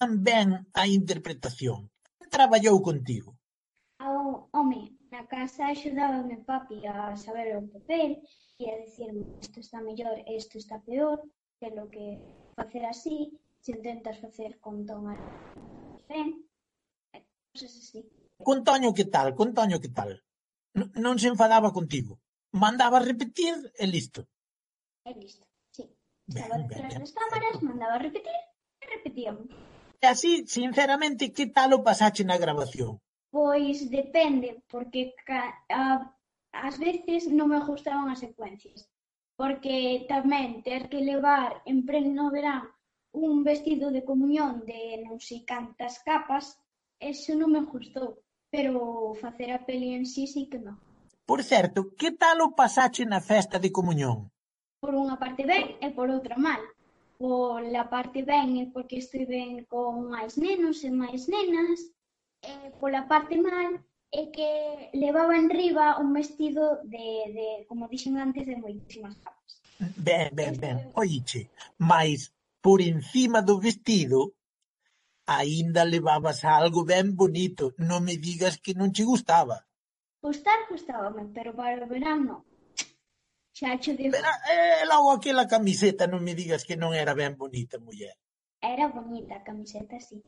tan ben a interpretación? Quen traballou contigo? Home, na casa axudábame papi a saber o papel e a dicirme isto está mellor e isto está peor, que lo que facer así, se intentas facer con ton ben, cosas así. Con Toño que tal? Non se enfadaba contigo? Mandaba repetir e listo. E listo, sí. Estaba detrás das cámaras, mandaba repetir e repetíamos. E así, sinceramente, que tal o pasache na grabación? Pois depende, porque ás veces non me gustaban as secuencias, porque tamén ter que levar en pleno verán un vestido de comunión de non sei cantas capas, eso non me gustou, pero facer a peli en sí que me gusta. Por certo, que tal o pasache na festa de comunión? Por unha parte ben e por outra mal. Por la parte ben é porque estou ben con máis nenos e máis nenas, e pola parte mal é que levaba en riba un vestido de como dixen antes, de moitísimas capas. Ben, oiche, mais por encima do vestido aínda levabas algo ben bonito, non me digas que non che gustaba. Gustábame, pero para o verán non. Xa cho digo. Pero logo aquela camiseta non me digas que non era ben bonita, muller. Era bonita a camiseta, sí.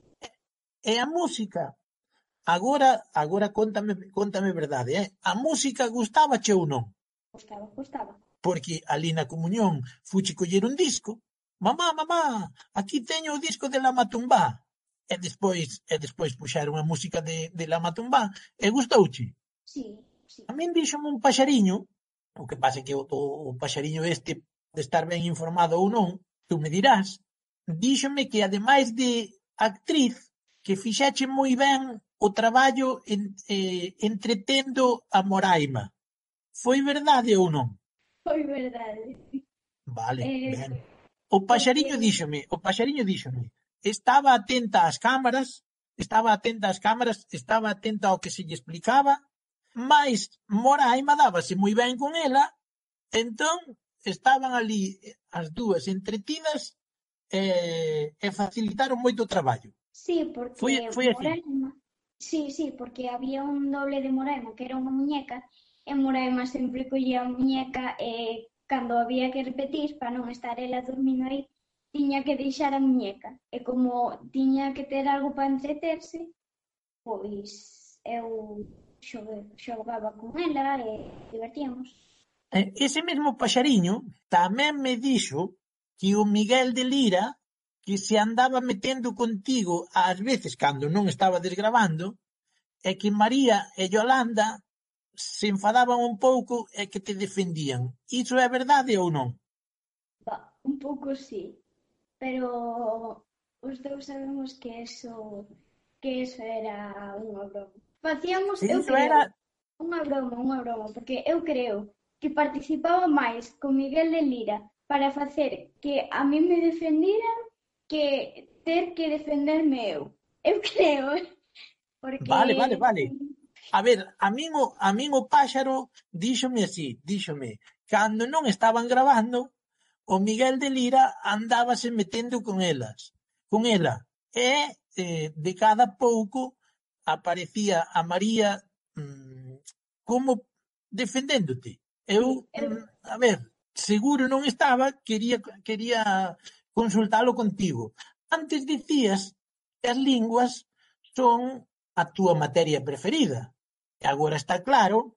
E a música? Agora contame verdade, A música gustábache ou non? Gustaba. Porque ali na comunión fuche coller un disco. Mamá, aquí teño o disco de La Matumbá. E despois puxeron a música de La Matumbá. E gustouche? Sí, sí. A min díxome un paxariño, o que pasa é que o paxariño este de estar ben informado ou non, tú me dirás, díxome que ademais de actriz, que fixeche moi ben o traballo entretendo a Moraima. Foi verdade ou non? Foi verdade. Vale, ben. O paxariño díxome, estaba atenta ás cámaras, estaba atenta ao que se lle explicaba, mais Moraima dábase moi ben con ela, entón estaban ali as dúas entretidas e facilitaron moito o traballo. Sí, porque Foi así. Moraima... Sí, porque había un doble de Moraima que era unha muñeca e Moraima sempre collía a muñeca e cando había que repetir, para non estar ela dormindo aí, tiña que deixar a muñeca. E como tiña que ter algo para entreterse, pois eu xogaba con ela e divertíamos. Ese mesmo paxariño tamén me dixo que o Miguel de Lira, que se andaba metendo contigo ás veces cando non estaba desgravando, e que María e Yolanda se enfadaban un pouco e que te defendían. Iso é verdade ou non? Un pouco sí, pero os dous sabemos que eso era unha broma. Facíamos, eu creo, unha broma, porque eu creo que participaba máis con Miguel de Lira para facer que a mí me defendiran que ter que defenderme eu. Eu creo, porque... Vale. A ver, a min o páxaro díxome así, cando non estaban gravando, o Miguel de Lira andábase metendo con ela, e de cada pouco aparecía a María como defendéndote. Eu, a ver, seguro non estaba, quería consultalo contigo. Antes dicías que as linguas son a túa materia preferida. E agora está claro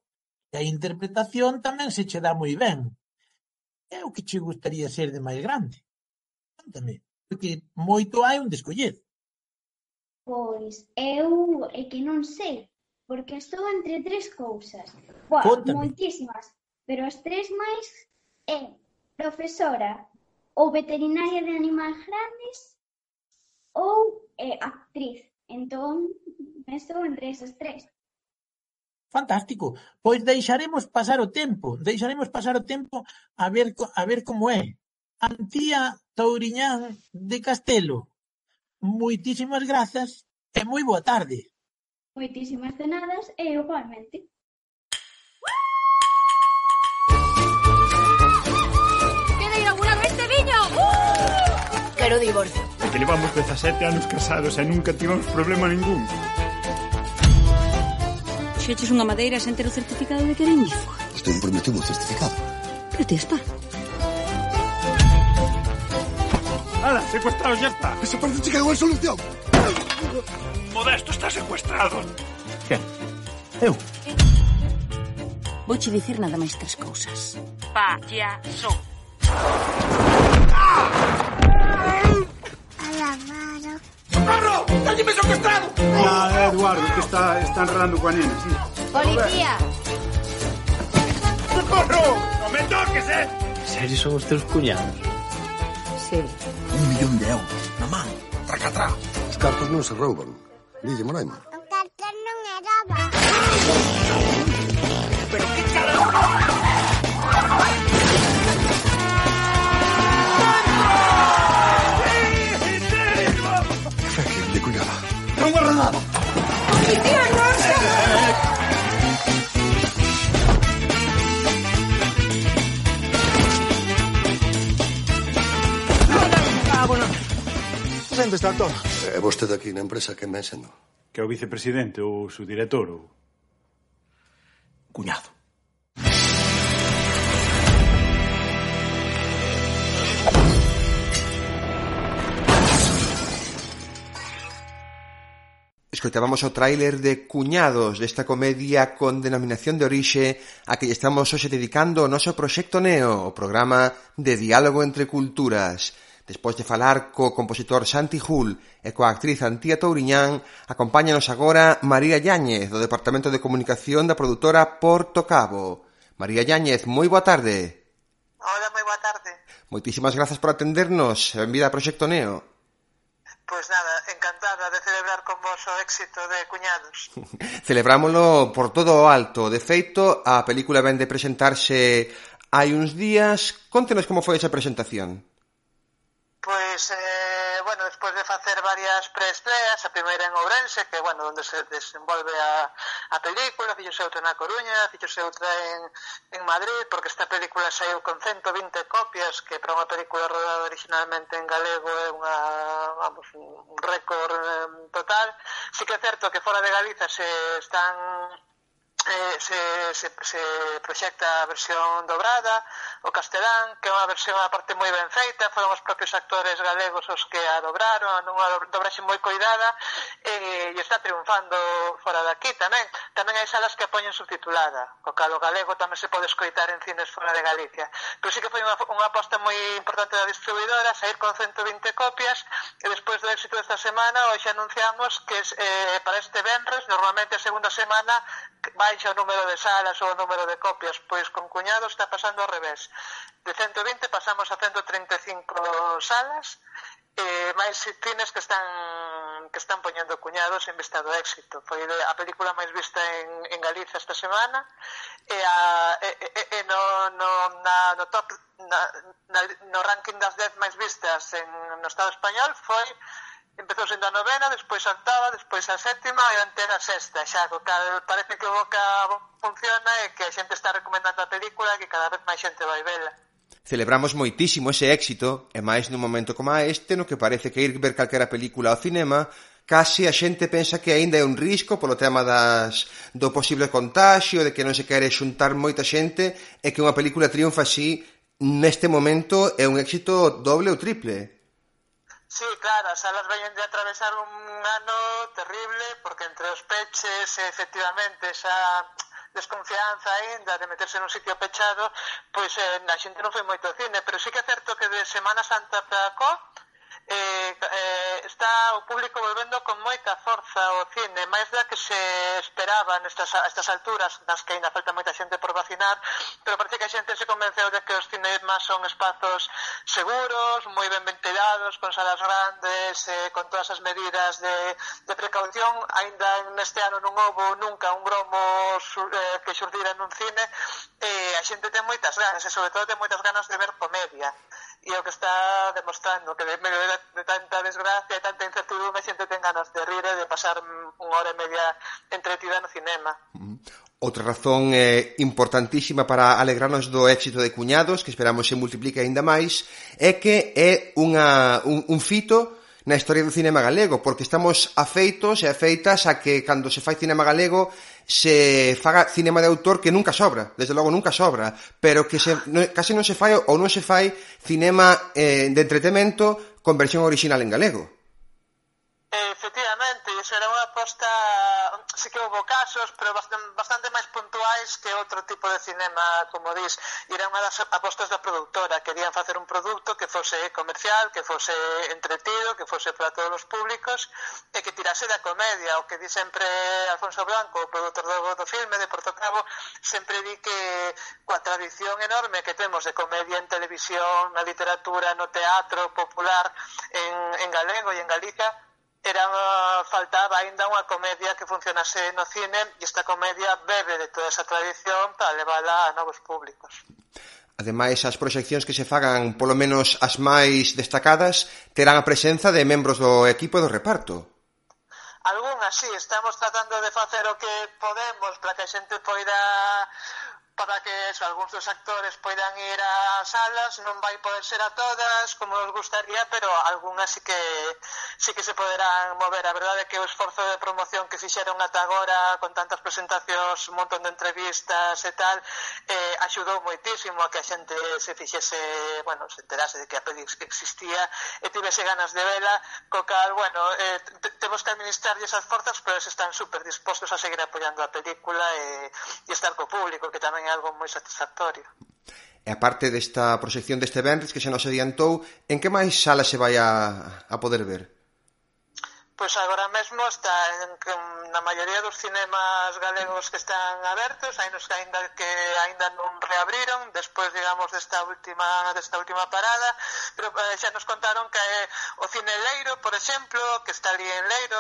que a interpretación tamén se che dá moi ben. É o que che gustaría ser de máis grande? Conta-me, porque moito hai onde escoller. Pois eu é que non sei, porque estou entre tres cousas. Moitísimas, pero as tres máis é profesora ou veterinaria de animais grandes ou actriz. Entón, estou entre esas tres. Fantástico. Pois deixaremos pasar o tempo a ver como é. Antía Touriñán de Castelo, moitísimas grazas e moi boa tarde. Moitísimas cenadas e igualmente. Queda inaugurado este viño! Quero divorcio. Porque levamos 17 anos casados e nunca tivemos problema ningún. Xeches unha madeira sen ter o certificado de que era ignífuga. Vostede prometeu o certificado. Pero ti está. ¡Hala, secuestrado ya está! ¡Esa parece que quedou en solución! Modesto está secuestrado. ¿Quen? Eu? Vouche dicir nada máis tres cousas. Payaso. ¡Socorro! ¡Téñeme secuestrado! Ah, Eduardo, que está enredando coa nena, sí. Policía! ¡Socorro! ¡No me toques, Serio son os teus cuñados? Sí. 1.000.000 de euros na man, tracatrá. Os cartos non se rouban. Dille, Moraima. O cartón non é roba. Pero que carajo! De cuidado. ¡Non guarda nada! ¡Policía, Rosa! Sente, está todo. É vostede aquí na empresa que me sendo? Que é o vicepresidente ou o subdirector ou... Cuñado. Escoitábamos o tráiler de Cuñados desta comedia con denominación de orixe a que estamos hoxe dedicando o noso Proxecto Neo, o programa de diálogo entre culturas. Despois de falar co compositor Santi Hull e coa actriz Antía Touriñán, acompáñanos agora María Yáñez, do Departamento de Comunicación da produtora Porto Cabo. María Yáñez, moi boa tarde. Hola, moi boa tarde. Moitísimas grazas por atendernos. Benvida a Proxecto Neo. Pois nada, encantada de celebrar con vos o éxito de Cuñados. Celebrámolo por todo o alto. De feito, a película ven de presentarse hai uns días. Contenos como foi esa presentación. Pois, bueno, despois de facer varias preestreas, a primeira en Ourense, que, bueno, onde se desenvolve a película, fixose outra na Coruña, fixose outra en Madrid, porque esta película saiu con 120 copias, que para unha película rodada originalmente en galego é un récord total. Sí que é certo que fora de Galiza se proxecta a versión dobrada, o castelán, que é unha versión a parte moi ben feita, foron os propios actores galegos os que a dobraron, unha dobraxe moi coidada, e está triunfando fora daqui tamén. Tamén hai salas que a poñen subtitulada, co cal o galego tamén se pode escoitar en cines fora de Galicia. Pero sí que foi unha aposta moi importante da distribuidora, sair con 120 copias, e despois do éxito desta semana, hoxe anunciamos que para este venres, normalmente a segunda semana, baixa o número de salas ou o número de copias, pois con Cuñados está pasando ao revés. De 120 pasamos a 135 salas, máis cines que están poñendo Cuñados en vista do éxito. Foi a película máis vista en Galiza esta semana, e no ranking das 10 máis vistas no Estado español empezou sendo a novena, despois a octava, despois a sétima e antena a sexta, xa, co cal parece que o boca funciona e que a xente está recomendando a película e que cada vez máis xente vai vela. Celebramos moitísimo ese éxito, e máis nun momento como este, no que parece que ir ver calquera película ao cinema, case a xente pensa que aínda é un risco polo tema do posible contagio, de que non se quere xuntar moita xente, e que unha película triunfa así, neste momento é un éxito doble ou triple. Sí, claro, as salas veñen de atravesar un ano terrible, porque entre os peches e efectivamente esa desconfianza aínda de meterse nun sitio pechado, pois a xente non foi moito ao cine, pero sí que é certo que de Semana Santa para cá está o público volvendo con moita forza ao cine, máis da que se esperaba a estas alturas, nas que ainda falta moita xente por vacinar, pero parece que a xente se convenceu de que os cinemas son espazos seguros, moi ben ventilados, con salas grandes, con todas as medidas de precaución. Ainda neste ano non houbo nunca un gromo que xurdira nun cine, e a xente ten moitas ganas, e sobre todo ten moitas ganas de ver comedia, e o que está demostrando que de medio de tanta desgracia e tanta incertidumbre a xente ten ganas de rir e de pasar unha hora e media entretida no cinema. Outra razón importantísima para alegrarnos do éxito de Cuñados, que esperamos se multiplique aínda máis, é que é un fito na historia do cinema galego, porque estamos afeitos e afeitas a que cando se fai cinema galego se faga cinema de autor, que nunca sobra, desde logo nunca sobra, pero que case non se fai ou non se fai cinema de entretemento con versión original en galego. Efectivamente, iso era unha aposta, sí que houve casos, pero bastante máis puntuais que outro tipo de cinema, como dis, e era unha das apostas da productora. Querían facer un produto que fose comercial, que fose entretido, que fose para todos os públicos, e que tirase da comedia. O que di sempre Alfonso Blanco, o produtor do filme de Porto Cabo, sempre di que coa tradición enorme que temos de comedia en televisión, na literatura, no teatro popular en galego e en Galicia, faltaba aínda unha comedia que funcionase no cine, e esta comedia bebe de toda esa tradición para levala a novos públicos. Ademais, as proxeccións que se fagan, polo menos as máis destacadas, terán a presenza de membros do equipo do reparto. Algúnas, sí, estamos tratando de facer o que podemos para que a xente poida, para que algúns dos actores poidan ir a salas. Non vai poder ser a todas como nos gustaría, pero algunhas sí que se poderán mover. A verdade é que o esforzo de promoción que fixeron ata agora, con tantas presentacións, un montón de entrevistas e tal, axudou moitísimo a que a xente se fixese, bueno, se enterase de que a peli existía e tivese ganas de vela, co cal, bueno, temos que administrarlle esas forzas, pero eles están super dispostos a seguir apoiando a película e estar co público, que tamén é algo moi satisfactorio. E a parte desta proxección deste venres que xa nos adiantou, en que máis sala se vai a poder ver? Pois agora mesmo está na maioría dos cinemas galegos que están abertos, hai nos que aínda non reabriron despois, digamos, desta última parada, pero xa nos contaron que o Cine Leiro, por exemplo, que está ali en Leiro,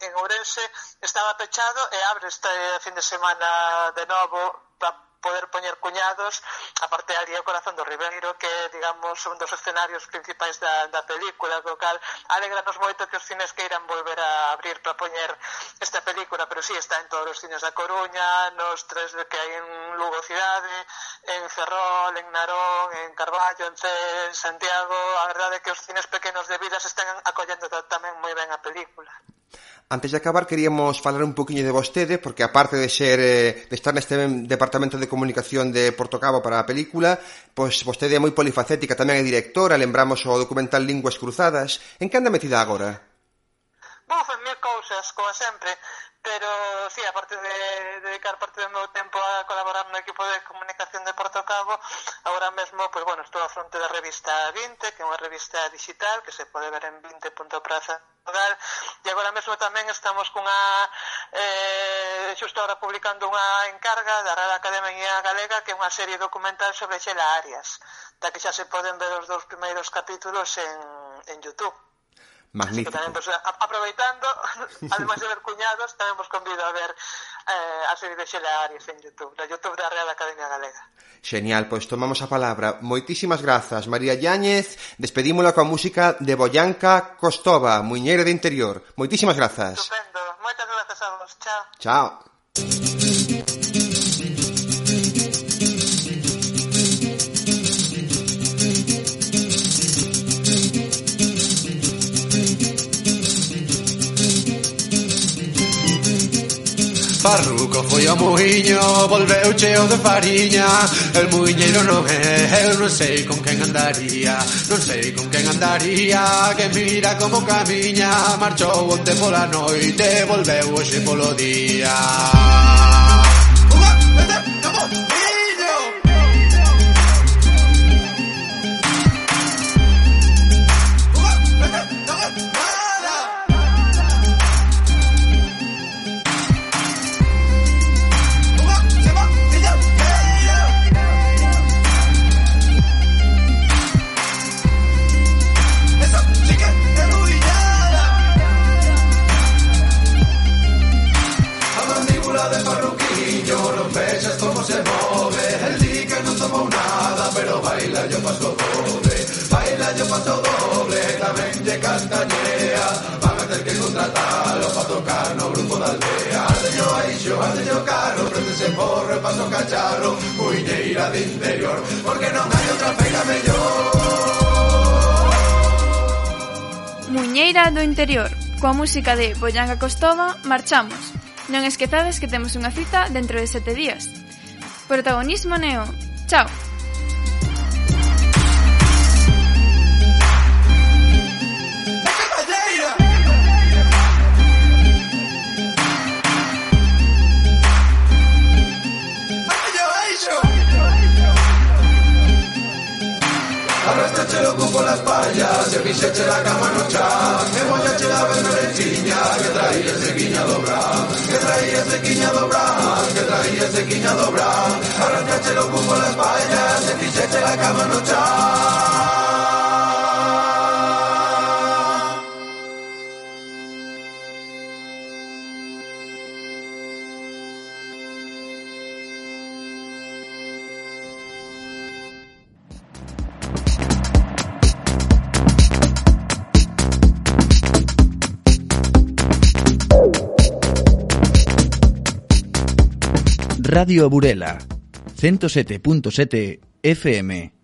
en Ourense, estaba pechado e abre este fin de semana de novo para poder poñer cuñados, aparte ali o Corazón do Ribeiro, que é, digamos, un dos escenarios principais da película, co cal alegranos moito que os cines queiran volver a abrir para poñer esta película, pero sí, está en todos os cines da Coruña, nos tres que hai en Lugo Cidade, en Ferrol, en Narón, en Carballo, en Cee, en Santiago. A verdade é que os cines pequenos de Vilas están acollendo tamén moi ben a película. Antes de acabar, queríamos falar un poquinho de vostede, porque aparte de estar neste departamento de comunicación de Portocabo para a película, pois vostede é moi polifacética, tamén é directora, lembramos o documental Linguas Cruzadas. En que anda metida agora? En mil cousas, como sempre, pero sí, aparte de dedicar parte do meu tempo a colaborar no equipo de comunicación de Portocabo, agora mesmo, pois bueno, estou á fronte da revista 20, que é unha revista digital que se pode ver en 20.praza. E agora mesmo tamén estamos xusto ahora publicando unha encarga da Real Academia Galega, que é unha serie documental sobre Xela Arias, da que xa se poden ver os 2 primeiros capítulos en YouTube. Magnífico. Así que tamén, pues, aproveitando, ademais de ver cuñados, tamén vos convido a ver a serie de Xela Arias en YouTube, da YouTube da Real Academia Galega. Genial, pois tomamos a palabra. Moitísimas grazas, María Yáñez. Despedímola coa música de Boyanka Kostova, Muiñeira de Interior. Moitísimas grazas. Estupendo, moitas grazas a vos. Chao. Chao. Farruco foi ao muiño, volveu cheo de fariña. El muiñeiro non é, eu non sei con quen andaría, non sei con quen andaría. Que mira como camiña, marchou onte pola noite, volveu hoxe polo día. Muiñeira de Interior, porque non hai outra feira mellor. Muiñeira do Interior, coa música de Boyanka Kostova, marchamos. Non esquezades que temos unha cita dentro de 7 días. Protagonismo Neo. Chao. Arrastrache loco por las payas, se fixeche la cama no chan. Que mollache la berberechiña, que traía ese quiñado bran, que traía ese quiñado bran, que traía ese quiñado bran. Arrastrache loco por las payas, se fixeche la cama no chan. Radio Burela, 107.7 FM.